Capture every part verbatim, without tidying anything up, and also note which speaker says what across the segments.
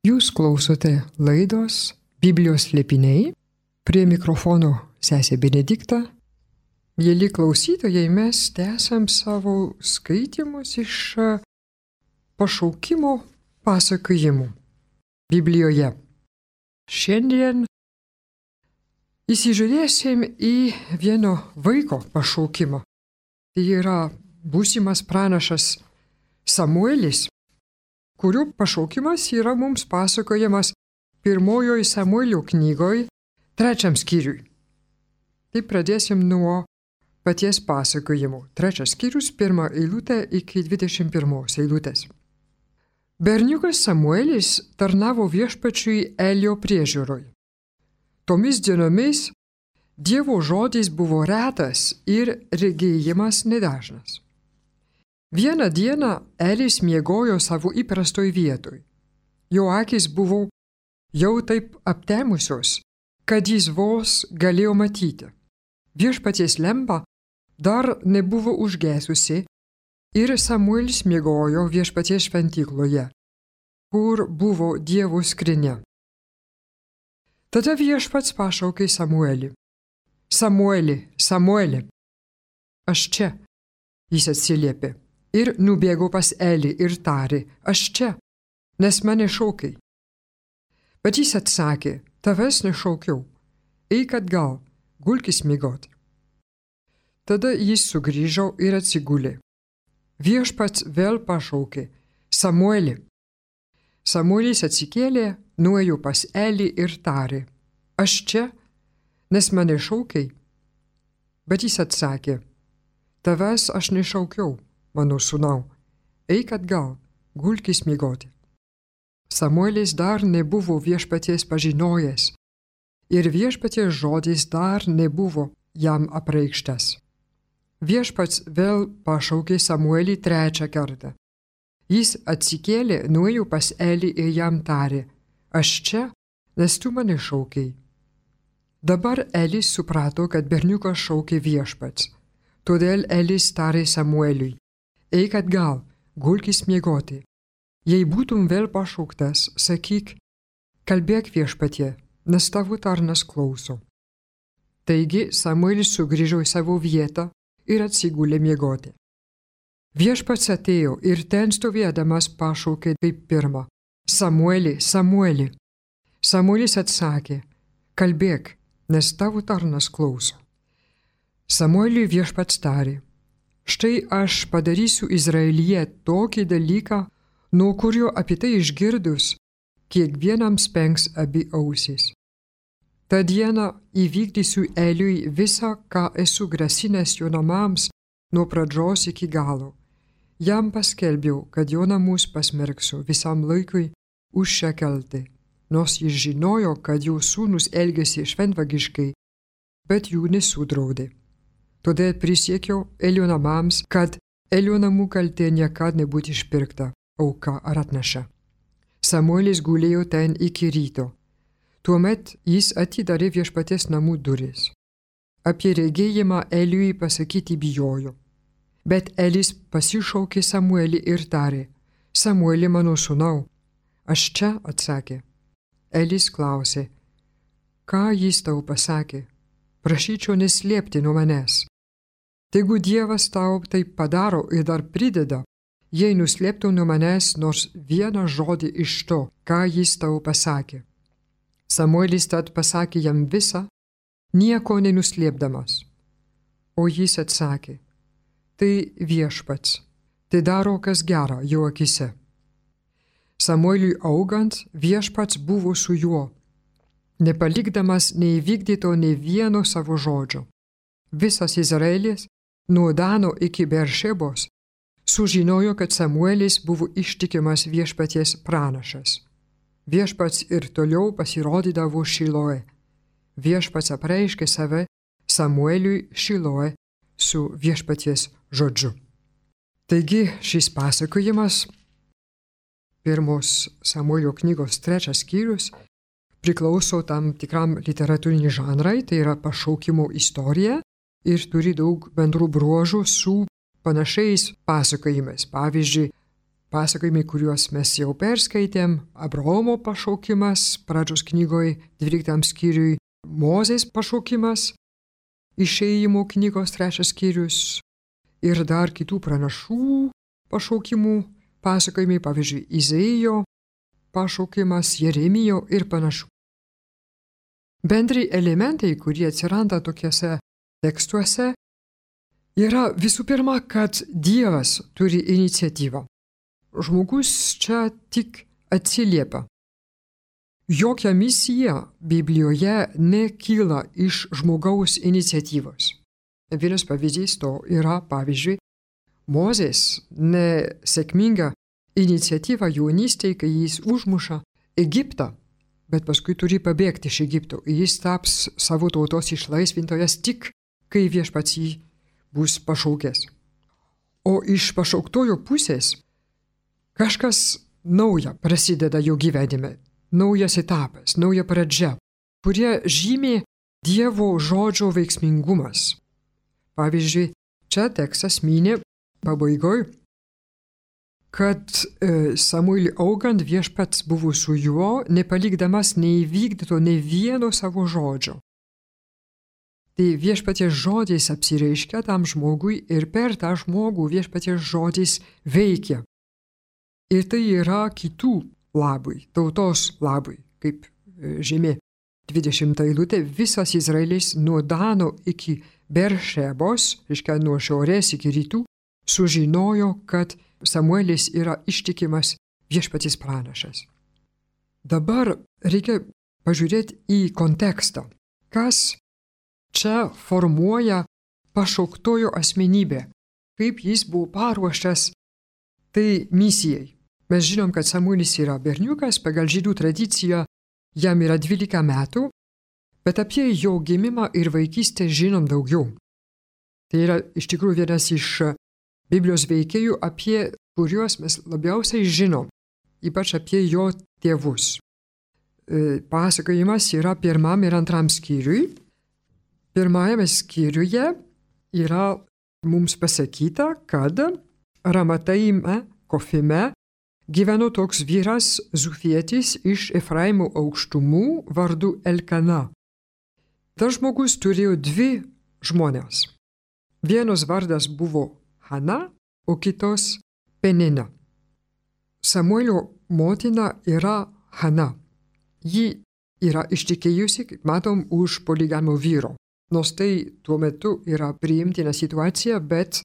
Speaker 1: Jūs klausote laidos Biblijos slėpiniai, prie mikrofono sesė Benedikta. Mėly klausytojai, mes tęsiam savo skaitymus iš pašaukimo pasakojimų Biblijoje. Šiandien įsižiūrėsim į vieno vaiko pašaukimą. Tai yra būsimas pranašas Samuelis, kurio pašaukimas yra mums pasakojamas pirmojoje Samuelio knygoje, trečiam skyriui. Tai pradėsim nuo paties pasakojimo. Trečias skyrius, pirmą eilutę iki dvidešimt pirmos eilutės. Berniukas Samuelis tarnavo viešpačiui Elio priežiūroj. Tomis dienomis Dievo žodis buvo retas ir regėjimas nedažnas. Vieną dieną Elis miegojo savo įprastoj vietoj. Jo akis buvo jau taip aptemusios, kad jis vos galėjo matyti. Viešpaties lempa dar nebuvo užgesusi ir Samuelis miegojo viešpaties šventykloje, kur buvo Dievo skrynia. Tada viešpats pašaukė Samuelį. Samueli, Samueli. Aš čia, jis atsiliepė. Ir nubėgo pas Elį ir tarė, aš čia, nes mane šaukai. Bet jis atsakė, tavęs nešaukiau, eik atgal, gulkis miegoti. Tada jis sugrįžo ir atsigulė. Viešpats vėl pašaukė, Samuelį. Samuelis atsikėlė, nuėjo pas Elį ir tarė, aš čia, nes mane šaukai. Bet jis atsakė, tavęs aš nešaukiau. Mano sūnau, eik atgal, gulkis miegoti. Samuelis dar nebuvo viešpaties pažinojęs ir viešpaties žodis dar nebuvo jam apreikštas. Viešpats vėl pašaukė Samuelį trečią kartą. Jis atsikėlė, nuėjo pas Elį ir jam tarė, aš čia, nes tu mane šaukiai. Dabar Elis suprato, kad berniukas šaukė viešpats. Todėl Elis tarė Samueliui, eik atgal, gulkis miegoti. Jei būtum vėl pašauktas, sakyk, kalbėk viešpatie, nes tavo tarnas klauso. Taigi Samuelis sugrįžo į savo vietą ir atsigulė miegoti. Viešpats atėjo ir ten stovėdamas pašaukė kaip pirmą, Samueli, Samueli. Samuelis atsakė, kalbėk, nes tavo tarnas klauso. Samueliui viešpats tarė, štai aš padarysiu Izraelyje tokį dalyką, nuo kurio apie tai išgirdus, kiekvienam spengs abi ausys. Ta diena įvykdysiu Eliui visą, ką esu grasinęs jo namams nuo pradžios iki galo. Jam paskelbiau, kad jo namus pasmerksiu visam laikui už šią kaltę, nors jis žinojo, kad jo sūnus elgėsi šventvagiškai, bet jų nesudraudė. Todėl prisiekiau Elio namams, kad Elio namų kaltė niekad nebūtų išpirkta, auka ar atnaša. Samuelis gulėjo ten iki ryto. Tuomet jis atidarė viešpaties namų duris. Apie regėjimą Eliui pasakyti bijojo. Bet Elis pasišaukė Samuelį ir tarė, Samueli mano sūnau, aš čia, atsakė. Elis klausė, ką jis tau pasakė? Prašyčiau neslėpti nuo manęs. Tegu Dievas tau taip padaro ir dar prideda, jei nuslėptų nuo manęs nors vieną žodį iš to, ką jis tau pasakė. Samuelis tad pasakė jam visą, nieko nenuslėpdamas. O jis atsakė, tai viešpats, tai daro kas gera jo akise. Samueliui augant, viešpats buvo su juo, nepalikdamas neįvykdyto nei vieno savo žodžio. Visas Izraelis, nuo Dano iki Beršebos, sužinojo, kad Samuelis buvo ištikimas viešpaties pranašas. Viešpats ir toliau pasirodydavo Šiloe. Viešpats apreiškė save Samueliui Šiloe su viešpaties žodžiu. Taigi šis pasakojimas, pirmos Samuelio knygos trečias skyrius, priklauso tam tikram literatūriniai žanrai, tai yra pašaukimo istorija ir turi daug bendrų bruožų su panašiais pasakojimais. Pavyzdžiui, pasakojimai, kuriuos mes jau perskaitėm, Abraomo pašaukimas, pradžios knygoje dvyliktam skyriui, Mozės pašaukimas, Išėjimo knygos trečias skyrius ir dar kitų pranašų pašaukimų pasakojimai, pavyzdžiui, Izaijo pašaukimas, Jeremijo ir panašių. Bendri elementai, kurie atsiranda tokiuose tekstuose, yra visų pirma, kad Dievas turi iniciatyvą. Žmogus čia tik atsiliepia. Jokia misija Biblijoje nekyla iš žmogaus iniciatyvos. Vienas pavyzdys to yra, pavyzdžiui, Mozės nesėkminga iniciatyva jaunystėje, kai jis užmuša Egiptą, bet paskui turi pabėgti iš Egipto. Jis taps savo tautos išlaisvintojas tik, kai viešpats jį bus pašaukęs. O iš pašauktojo pusės kažkas nauja prasideda jo gyvenime. Naujas etapas, nauja pradžia, kurie žymė Dievo žodžio veiksmingumas. Pavyzdžiui, čia tekstas minė pabaigoj, kad e, Samueliui augant viešpats buvo su juo, nepalikdamas neįvykdyto nei vieno savo žodžio. Tai viešpaties žodis apsireiškia tam žmogui ir per tą žmogų viešpaties žodis veikia. Ir tai yra kitų labui, tautos labui, kaip žymė dvidešimta eilutė, visas Izraelis nuo Dano iki Beršebos, reiškia nuo šiaurės iki rytų, sužinojo, kad Samuelis yra ištikimas viešpaties pranašas. Dabar reikia pažiūrėti į kontekstą, kas čia formuoja pašauktojo asmenybę, kaip jis buvo paruoštas tai misijai. Mes žinom, kad Samuelis yra berniukas, pagal žydų tradiciją jam yra dvylika metų, bet apie jo gimimą ir vaikystę žinom daugiau. Tai yra iš tikrųjų vienas iš Biblijos veikėjų, apie kuriuos mes labiausiai žinom, ypač apie jo tėvus. Pasakojimas yra pirmam ir antram skyriui. Pirmajame skyriuje yra mums pasakyta, kad Ramataime, Kofime, gyveno toks vyras Zufietis iš Efraimo aukštumų vardu Elkana. Tas žmogus turėjo dvi žmones. Vienos vardas buvo Hana, o kitos Penina. Samuelio motina yra Hana. Ji yra ištekėjusi, kaip matom, už poligamo vyro. Nors tai tuo metu yra priimtina situacija, bet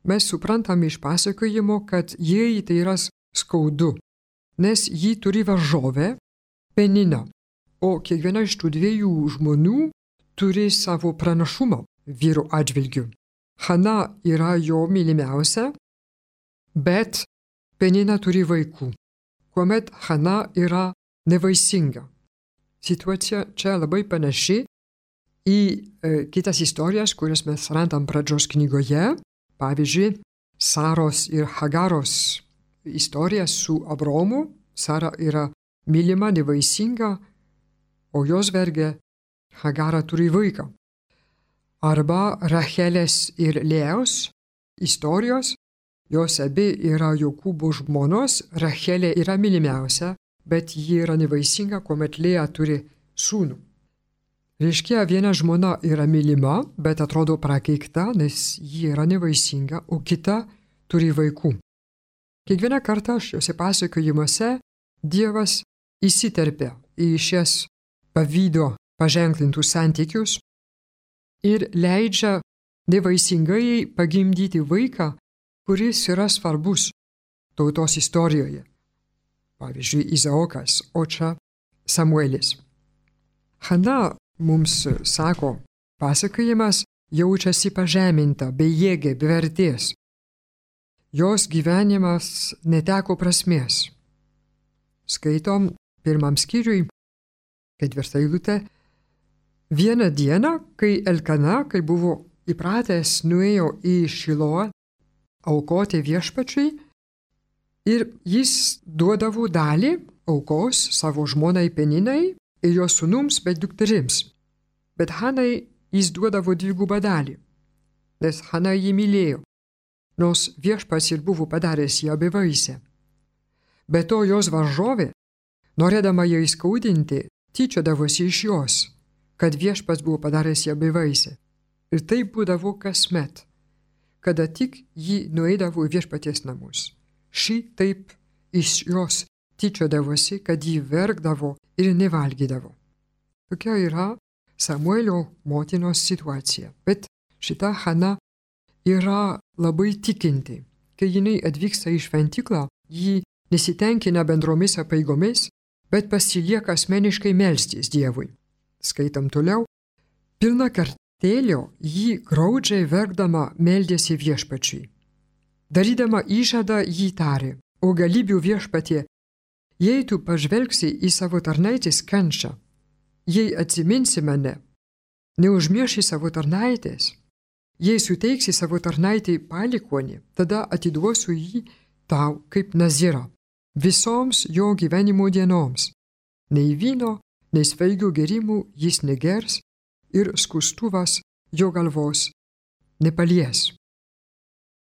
Speaker 1: mes suprantam iš pasakojimo, kad jai tai yra skaudu, nes ji turi varžovę Peniną, o kiekviena iš tų dviejų žmonių turi savo pranašumą vyro atžvilgiu. Hana yra jo mylimiausia, bet Penina turi vaikų, kuomet Hana yra nevaisinga. Situacija čia labai panaši į e, kitas istorijas, kurias mes randam pradžios knygoje, pavyzdžiui, Saros ir Hagaros istorija su Abraomu. Sara yra mylima, nevaisinga, o jos vergė Hagara turi vaiką. Arba Rachelės ir Lėjos istorijos, jos abi yra Jokūbo žmonos, Rachelė yra mylimiausia, bet ji yra nevaisinga, kuomet Lėja turi sūnų. Reiškia, viena žmona yra mylima, bet atrodo prakeikta, nes ji yra nevaisinga, o kita turi vaikų. Kiekvieną kartą šiuose pasakojimuose Dievas įsiterpia į šias pavydo paženklintus santykius ir leidžia nevaisingai pagimdyti vaiką, kuris yra svarbus tautos istorijoje. Pavyzdžiui, Izaokas, o čia Samuelis. Hana, mums sako pasakojimas, jaučiasi pažeminta, bejėgė, be vertės. Jos gyvenimas neteko prasmės. Skaitom pirmam skyriui, ketvirtą eilutę. Vieną dieną, kai Elkana, kai buvo įpratęs, nuėjo į Šiloą aukoti viešpačiui ir jis duodavo dalį aukos savo žmonai Peninai ir jos sūnums bei dukterims. Bet Hanai jis duodavo dvigubą dalį, nes Hana jį mylėjo, nors viešpats ir buvo padaręs ją bevaisę. Be to jos varžovė, norėdama ją įskaudinti, tyčiodavosi iš jos, kad viešpats buvo padaręs ją bevaisę. Ir taip būdavo kasmet, kada tik ji nueidavo į viešpaties namus. Ši taip iš jos tyčiodavosi, kad ji verkdavo ir nevalgydavo. Tokia yra Samuelio motinos situacija. Bet šita Hana yra labai tikinti. Kai jinai atvyksta į šventyklą, ji nesitenkina bendromis apeigomis, bet pasilieka asmeniškai melstis Dievui. Skaitam toliau. Pilna kartėlio ji graudžiai verkdama meldėsi viešpačiui. Darydama įžadą jį tarė: O galybių viešpatie, jei tu pažvelgsi į savo tarnaitės kančią, jei atsiminsi mane, neužmirši savo tarnaitės, jei suteiksi savo tarnaitei palikuonį, tada atiduosiu jį tau kaip nazirą visoms jo gyvenimo dienoms. Nei vyno, nei svaigių gėrimų jis negers ir skustuvas jo galvos nepalies.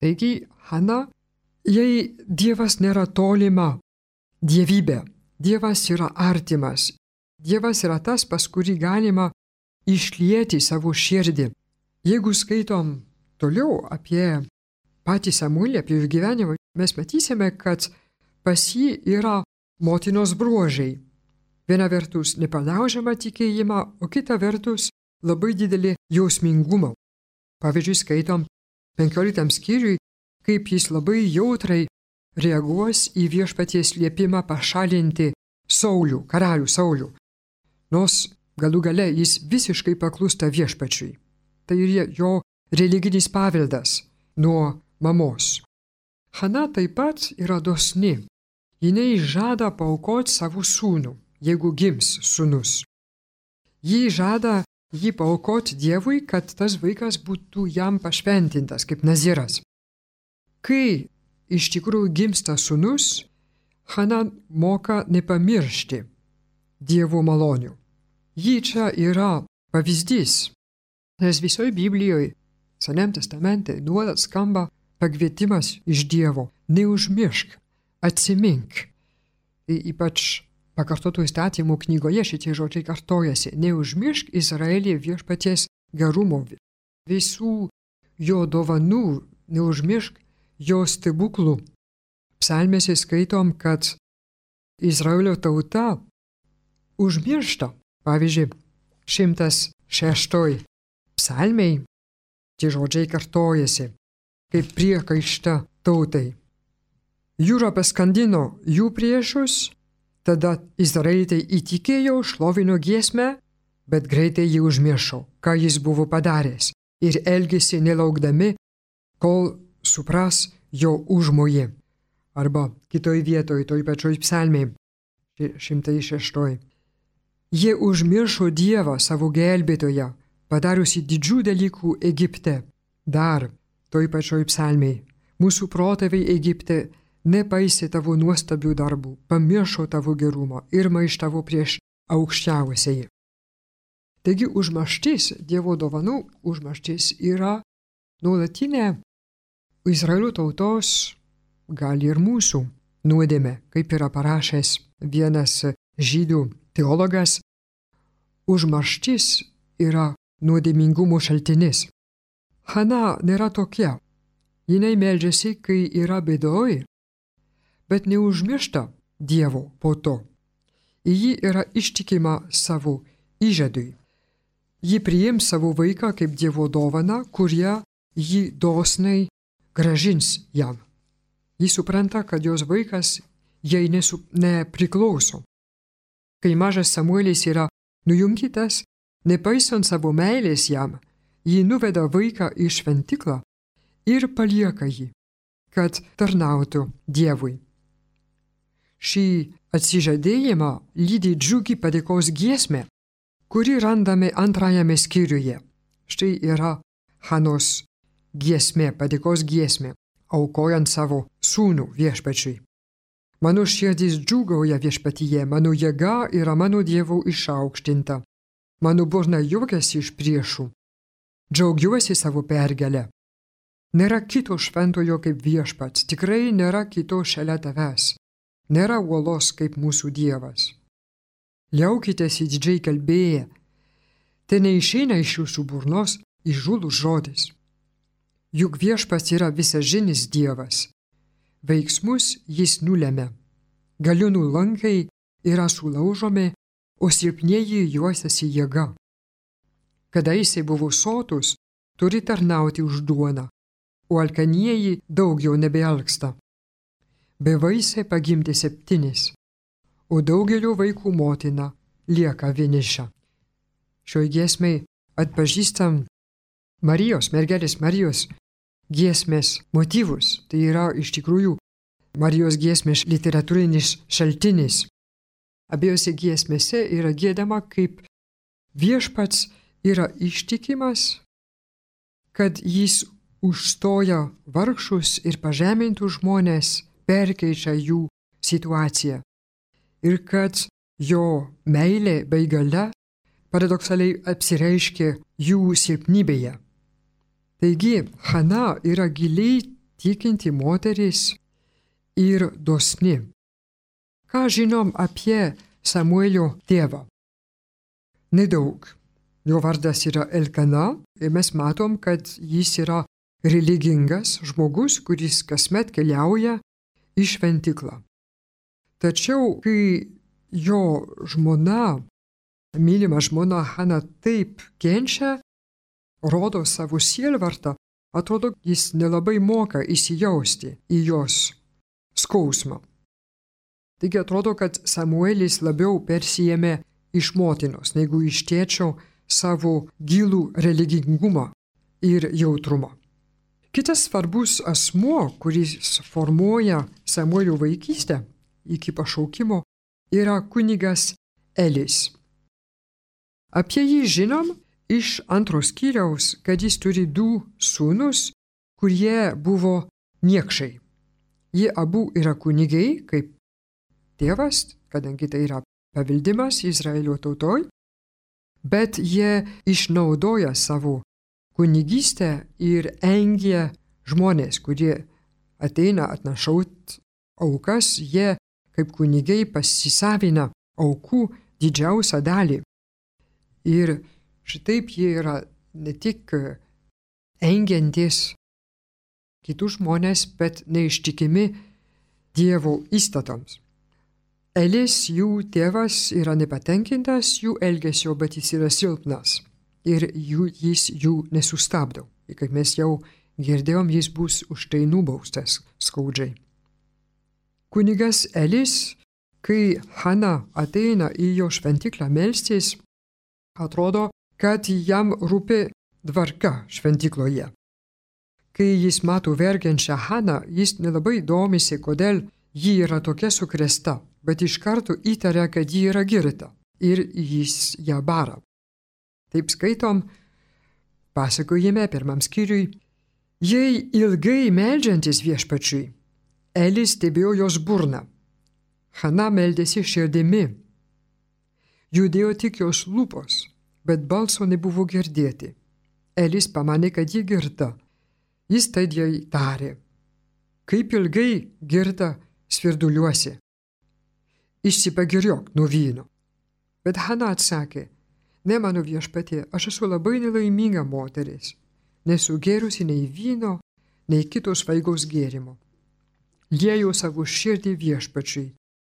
Speaker 1: Taigi, Hana, jei Dievas nėra tolima dievybė, Dievas yra artimas, Dievas yra tas, pas kurį galima išlieti savo širdį. Jeigu skaitom toliau apie patį Samuelį, apie jų gyvenimą, mes matysime, kad pas jį yra motinos bruožai. Viena vertus nepalaužiama tikėjimą, o kita vertus labai didelį jausmingumą. Pavyzdžiui, skaitom penkioliktam skyriui, kaip jis labai jautrai reaguos į viešpaties liepimą pašalinti Saulių, karalių Saulių. Nors galų gale jis visiškai paklūsta viešpačiui. Tai ir jo religinis paveldas nuo mamos. Hana taip pat yra dosni. Jinai žada paaukoti savo sūnų, jeigu gims sūnus. Ji žada jį paaukoti Dievui, kad tas vaikas būtų jam pašventintas kaip naziras. Kai iš tikrųjų gimsta sūnus, Hana moka nepamiršti Dievo malonių. Ji čia yra pavyzdys, nes visoje Biblijoje, Senajame testamente, nuolat skamba pakvietimas iš Dievo: neužmiršk, atsimink. Ypač Pakartotų įstatymų knygoje šitie žodžiai kartojasi: neužmiršk Izraelį viešpaties gerumo, visų jo dovanų, neužmiršk jo stebuklų. Psalmėse skaitom, kad Izraelio tauta užmiršta. Pavyzdžiui, šimtas šeštoj psalmei tie žodžiai kartojasi kaip priekaišta tautai. Jūra paskandino jų priešus, tada izraelitai įtikėjo, šlovino giesmę, bet greitai jį užmiršo, ką jis buvo padaręs, ir elgėsi nelaukdami, kol supras jo užmojį. Arba kitoj vietoj, toj pačioj psalmėj, šimtas šeštoj. Jie užmiršo Dievą, savo gelbėtoją, padariusi didžių dalykų Egipte. Dar toj pačioj psalmėj. Mūsų protėviai Egipte nepaisė tavo nuostabių darbų, pamiršo tavo gerumą ir maištavo prieš aukščiausiai. Taigi užmarštis, Dievo dovanų užmarštis yra nuolatinė Izraelio tautos, gal ir mūsų nuodėmė, kaip yra parašęs vienas žydų teologas. Užmarštis yra nuodėmingumo šaltinis. Hana nėra tokia. Jinai meldžiasi, kai yra bėdoj, bet neužmiršta Dievo po to. Ji yra ištikima savo įžadui. Ji priims savo vaiką kaip Dievo dovaną, kurią ji dosniai gražins jam. Ji supranta, kad jos vaikas jai nesu, nepriklauso. Kai mažas Samuelis yra nujungytas, nepaisant savo meilės jam, ji nuveda vaiką į šventyklą ir palieka jį, kad tarnautų Dievui. Šį atsižadėjimą lydi džiugi padėkos giesmė, kuri randame antrajame skyriuje. Štai yra Hanos giesmė, padėkos giesmė, aukojant savo sūnų viešpačiui. Mano širdis džiūgauja viešpatyje, mano jėga yra mano Dievo išaukštinta. Mano burna juokiasi iš priešų. Džiaugiuosi savo pergalę. Nėra kito šventojo kaip viešpats, tikrai nėra kito šalia tavęs. nėra uolos kaip mūsų Dievas. Liaukitės įdidžiai kalbėję, tai neišeina iš jūsų burnos įžūlus žodis. Juk viešpats yra visažinis Dievas. Veiksmus jis nulemia. Galiūnų lankai yra sulaužomi, o silpnieji juosiasi jėga. Kadaise buvo sotus, turi tarnauti už duoną, o alkanieji daugiau nebealksta. Bevaisė pagimdė septynis, o daugelio vaikų motina lieka vieniša. Šioj giesmei atpažįstam Marijos, mergelės Marijos giesmės motyvus. Tai yra iš tikrųjų Marijos giesmės literatūrinis šaltinis. Abiejose giesmėse yra giedama, kaip viešpats yra ištikimas, kad jis užstoja vargšus ir pažemintų žmonės, perkeičia jų situaciją. Ir kad jo meilė bei galia paradoksaliai apsireiškia jų silpnybėje. Taigi, Hana yra giliai tikinti moteris ir dosni. Ką žinom apie Samuelio tėvą? Nedaug. Jo vardas yra Elkana ir mes matom, kad jis yra religingas žmogus, kuris kasmet keliauja į šventyklą. Tačiau, kai jo žmona, mylima žmona Hana taip kenčia, rodo savo sielvartą, atrodo, jis nelabai moka įsijausti į jos skausmą. Taigi atrodo, kad Samuelis labiau persijėmė iš motinos, negu iš tėčio savo gilų religingumą ir jautrumą. Kitas svarbus asmuo, kuris formuoja Samuelio vaikystę iki pašaukimo, yra kunigas Elis. Apie jį žinom iš antros skyriaus, kad jis turi du sūnus, kurie buvo niekšai. Jie abu yra kunigai, kaip tėvas, kadangi tai yra paveldimas Izraelio tautoj, bet jie išnaudoja savo kunigystę ir engia žmonės, kurie ateina atnašaut aukas, jie kaip kunigai pasisavina aukų didžiausią dalį. Ir šitaip jie yra ne tik engiantis kitus žmonės, bet neištikimi Dievo įstatams. Elis, jų tėvas, yra nepatenkintas jų elgesio, bet jis yra silpnas ir jų, jis jų nesustabdo. Ir kaip mes jau girdėjom, jis bus už tai nubaustas skaudžiai. Kunigas Elis, kai Hana ateina į jo šventyklą melstis, atrodo, kad jam rūpi tvarka šventykloje. Kai jis mato verkiančią Haną, jis nelabai domisi, kodėl ji yra tokia sukrėsta, bet iš karto įtaria, kad ji yra girta ir jis ją bara. Taip skaitom pasakojime pirmam skyriui. Jei ilgai meldžiantis viešpačiui, Elis stebėjo jos burną. Hana meldėsi širdimi. Judėjo tik jos lūpos, bet balso nebuvo girdėti. Elis pamanė, kad ji girta. Jis tad jai tarė: kaip ilgai girta svirduliuosi, išsipagiriok nuo vyno. Bet Hana atsakė: ne, mano viešpatie, aš esu labai nelaiminga moteris, nesu gėrusi nei vyno, nei kito svaigaus gėrimo. Lieju savo širdį viešpačiui,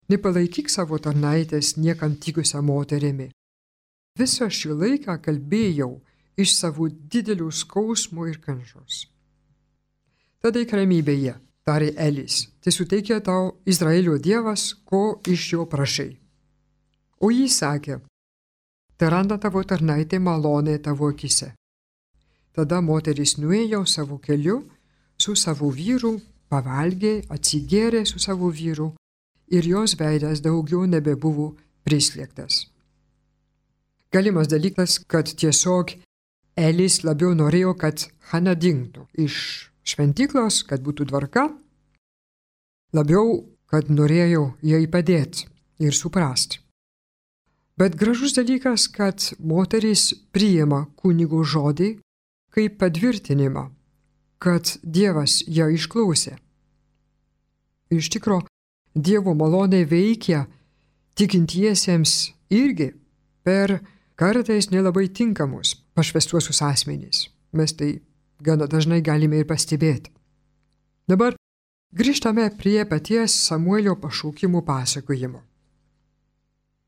Speaker 1: nepalaikyk savo tarnaitės niekam tikusią moterimi. Visą šį laiką kalbėjau iš savo didelių skausmų ir kančios. Tada eik ramybėje, tarė Elis, tai suteikia tau Izraelio Dievas, ko iš jo prašai. O jis sakė: tai randa tavo tarnaitė malonė tavo akise. Tada moteris nuėjo savo keliu su savo vyru, pavalgė, atsigėrė su savo vyru ir jos veidas daugiau nebebuvo prislėgtas. Galimas dalykas, kad tiesiog Elis labiau norėjo, kad Hana dingtų iš šventyklos, kad būtų tvarka, labiau, kad norėjo jai padėti ir suprasti. Bet gražus dalykas, kad moteris priima kunigo žodį kaip patvirtinimą, kad Dievas ją išklausė. Iš tikro, Dievo malonė veikia tikintiesiems irgi per kartais nelabai tinkamus pašvęstuosius asmenys. Mes tai gana dažnai galime ir pastebėti. Dabar grįžtame prie paties Samuelio pašaukimų pasakojimo.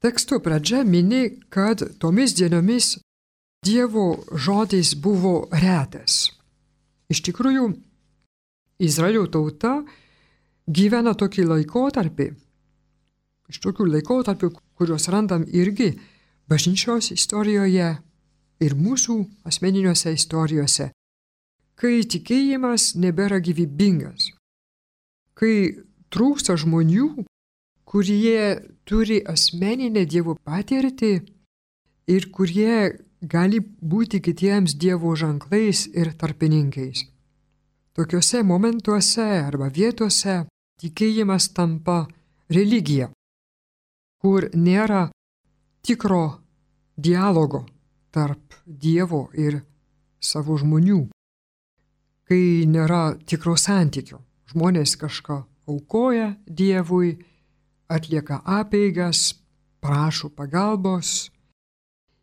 Speaker 1: Teksto pradžia mini, kad tomis dienomis Dievo žodis buvo retas. Iš tikrųjų, Izraelio tauta gyvena tokį laikotarpį, iš tokių laikotarpių, kuriuos randam irgi bažnyčios istorijoje ir mūsų asmeniniuose istorijose, kai tikėjimas nebėra gyvybingas, kai trūksta žmonių, kurie turi asmeninę Dievo patirtį ir kurie gali būti kitiems Dievo ženklais ir tarpininkais. Tokiuose momentuose arba vietose tikėjimas tampa religija, kur nėra tikro dialogo tarp Dievo ir savo žmonių, kai nėra tikro santykio. Žmonės kažką aukoja Dievui, atlieka apeigas, prašo pagalbos,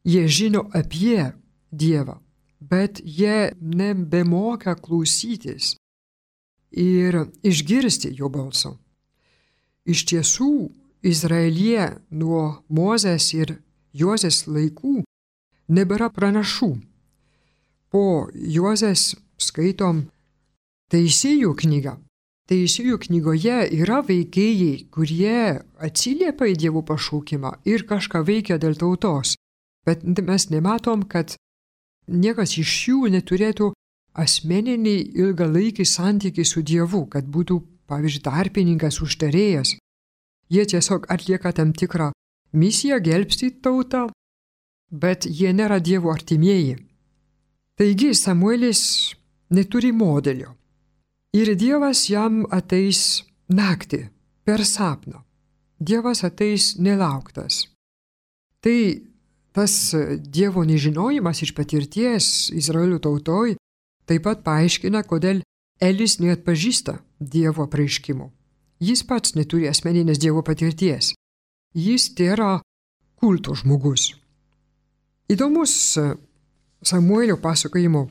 Speaker 1: jie žino apie Dievą, bet jie nebemoka klausytis ir išgirsti jo balso. Iš tiesų, Izraelyje nuo Mozės ir Jozės laikų nebėra pranašų. Po Jozės skaitom Teisėjų knygą. Teisėjų knygoje yra veikėjai, kurie atsiliepia į Dievo pašaukimą ir kažką veikia dėl tautos, bet mes nematom, kad niekas iš jų neturėtų asmeninį ilgalaikį santykį su Dievu, kad būtų, pavyzdžiui, tarpininkas, užtarėjas. Jie tiesiog atlieka tam tikrą misiją gelbstyti tautą, bet jie nėra Dievo artimieji. Taigi Samuelis neturi modelio. Ir Dievas jam ateis naktį, per sapną. Dievas ateis nelauktas. Tai tas Dievo nežinojimas iš patirties Izraelio tautoj taip pat paaiškina, kodėl Elis neatpažįsta Dievo apreiškimų. Jis pats neturi asmeninės Dievo patirties. Jis tėra kulto žmogus. Įdomus Samuelio pasakojimo,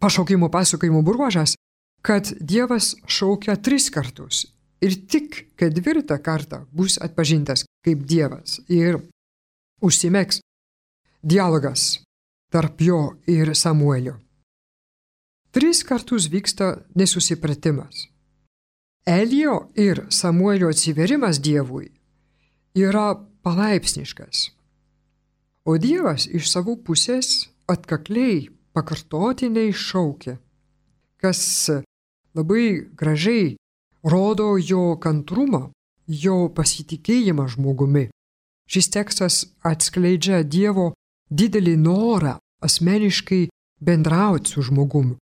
Speaker 1: pašaukimo pasakojimo bruožas, kad Dievas šaukia tris kartus ir tik ketvirtą kartą bus atpažintas kaip Dievas ir užsimegs dialogas tarp jo ir Samuelio. Tris kartus vyksta nesusipratimas. Elio ir Samuelio atsiverimas Dievui yra palaipsniškas, o Dievas iš savo pusės atkakliai, pakartotinai šaukia, kas labai gražiai rodo jo kantrumą, jo pasitikėjimą žmogumi. Šis tekstas atskleidžia Dievo didelį norą asmeniškai bendrauti su žmogumi.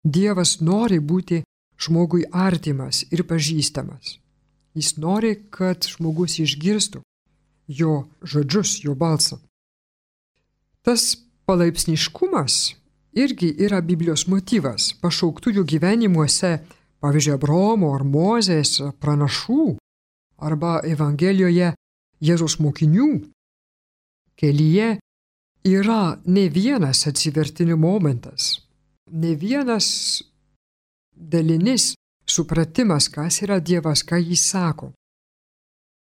Speaker 1: Dievas nori būti žmogui artimas ir pažįstamas. Jis nori, kad žmogus išgirstų jo žodžius, jo balsą. Tas palaipsniškumas irgi yra Biblijos motyvas pašauktųjų gyvenimuose, pavyzdžiui, Abraomo ar Mozės pranašų arba Evangelijoje Jėzaus mokinių. Kelyje yra ne vienas atsivertimo momentas, ne vienas dalinis supratimas, kas yra Dievas, ką jis sako.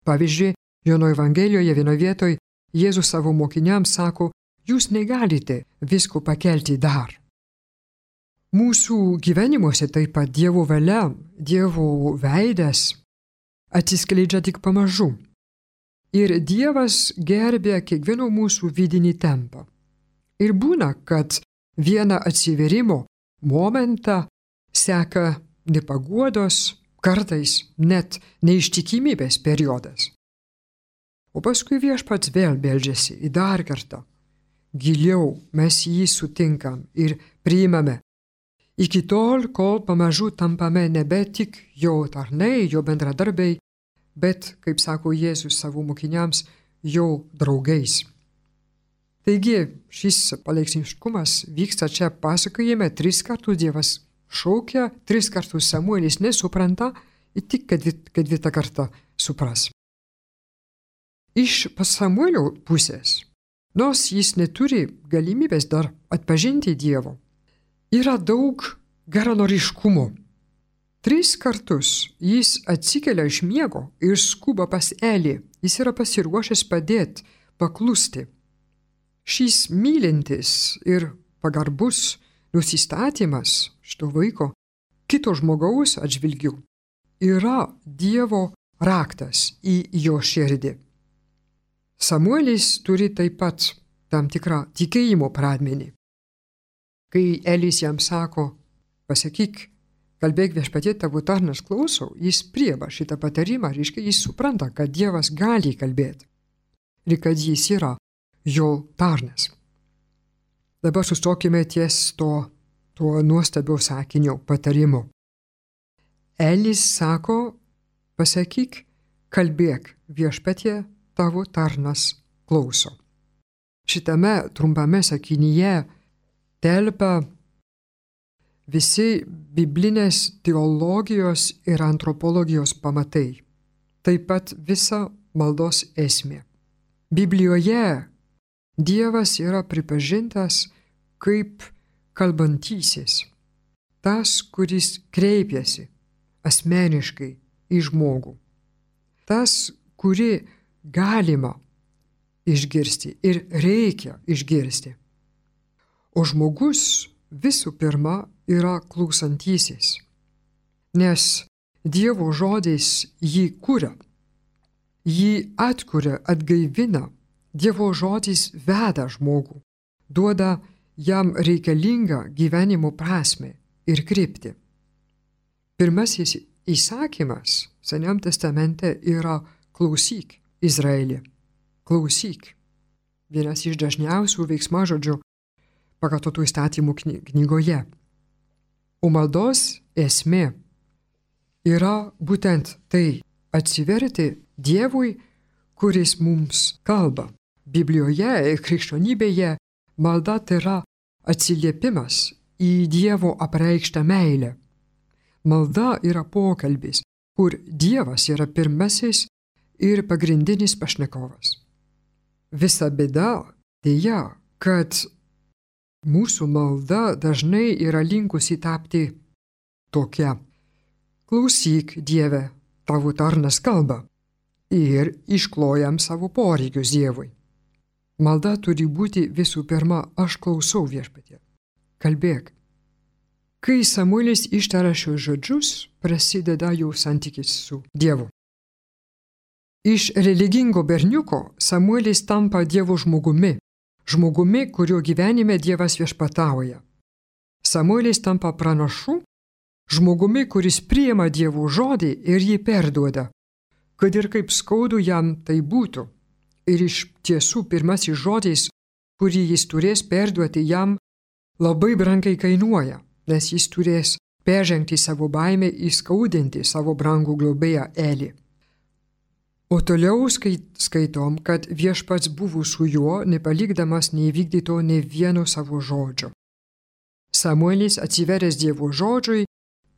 Speaker 1: Pavyzdžiui, Jono Evangelijoje vienoje vietoje Jėzus savo mokiniams sako, jūs negalite visko pakelti dar. Mūsų gyvenimuose taip pat Dievo valia, Dievo veidas atsiskleidžia tik pamažu. Ir Dievas gerbė kiekvieno mūsų vidinį tempą. Ir būna, kad vieną atsiverimo momentą seka nepaguodos, kartais net neištikimybės periodas. O paskui viešpats vėl beldžiasi į dar kartą. Giliau mes jį sutinkam ir priimame. Iki tol, kol pamažu tampame nebe tik jo tarnai, jo bendradarbiai, bet, kaip sako Jėzus savo mokiniams, jo draugais. Taigi, šis palaipsniškumas vyksta čia pasakojime, tris kartus Dievas šaukia, tris kartus Samuelis nesupranta ir tik ketvirtą kartą supras. Iš Samuelio pusės, nors jis neturi galimybės dar atpažinti Dievo, yra daug geranoriškumo. Tris kartus jis atsikelia iš miego ir skuba pas Elį. Jis yra pasiruošęs padėti, paklusti. Šis mylintis ir pagarbus nusistatymas šito vaiko kito žmogaus atžvilgių yra Dievo raktas į jo širdį. Samuelis turi taip pat tam tikrą tikėjimo pradmenį. Kai Elis jam sako, pasakyk, kalbėk viešpatie, tavo tarnas klauso, jis priima šitą patarimą, reiškia, jis supranta, kad Dievas gali kalbėti ir kad jis yra jo tarnas. Dabar sustokime ties to, to nuostabio sakinio patarimo. Elis sako, pasakyk, kalbėk viešpatie, tavo tarnas klauso. Šitame trumpame sakinyje telpa visi biblinės teologijos ir antropologijos pamatai, taip pat visa maldos esmė. Biblijoje Dievas yra pripažintas kaip kalbantysis, tas, kuris kreipiasi asmeniškai į žmogų, tas, kurį galima išgirsti ir reikia išgirsti. O žmogus visų pirma yra klausantysis, nes Dievo žodis jį kuria, jį atkuria, atgaivina. Dievo žodis veda žmogų, duoda jam reikalingą gyvenimo prasmę ir kryptį. Pirmasis įsakymas Seniam testamente yra klausyk, Izraeli, klausyk. Vienas iš dažniausių veiksmažodžių pakartotų įstatymų knygoje. O maldos esmė yra būtent tai atsiverti Dievui, kuris mums kalba. Biblijoje ir krikščionybėje malda tai yra atsiliepimas į Dievo apreikštą meilę. Malda yra pokalbis, kur Dievas yra pirmasis ir pagrindinis pašnekovas. Visa bėda dėja, kad mūsų malda dažnai yra linkusi tapti tokia. Klausyk, Dieve, tavo tarnas kalba ir išklojam savo poreikius Dievui. Malda turi būti visų pirma, aš klausau viešpatie. Kalbėk. Kai Samuelis ištara šios žodžius, prasideda jau santykis su Dievu. Iš religingo berniuko Samuelis tampa Dievo žmogumi, žmogumi, kurio gyvenime Dievas viešpatauja. Samuelis tampa pranašu, žmogumi, kuris priima Dievo žodį ir jį perduoda, kad ir kaip skaudu jam tai būtų. Ir iš tiesų pirmasis žodis, kurį jis turės perduoti jam, labai brangiai kainuoja, nes jis turės peržengti savo baimę, įskaudinti savo brangų globėją Elį. O toliau skaitom, kad viešpats buvo su juo, nepalikdamas neįvykdyto ne vieno savo žodžio. Samuelis, atsiveręs Dievo žodžiui,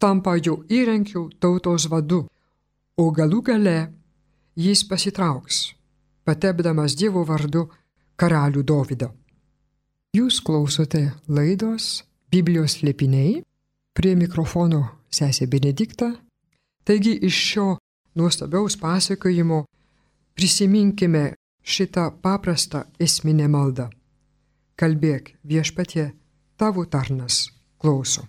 Speaker 1: tampa jo įrankiu tautos vadu, o galų gale jis pasitrauks, patepdamas Dievo vardu karalių Dovydą. Jūs klausote laidos Biblijos slėpiniai, prie mikrofono sesė Benedikta. Taigi iš šio nuostabiaus pasakojimo prisiminkime šitą paprastą esminę maldą. Kalbėk viešpatie, tavo tarnas klauso.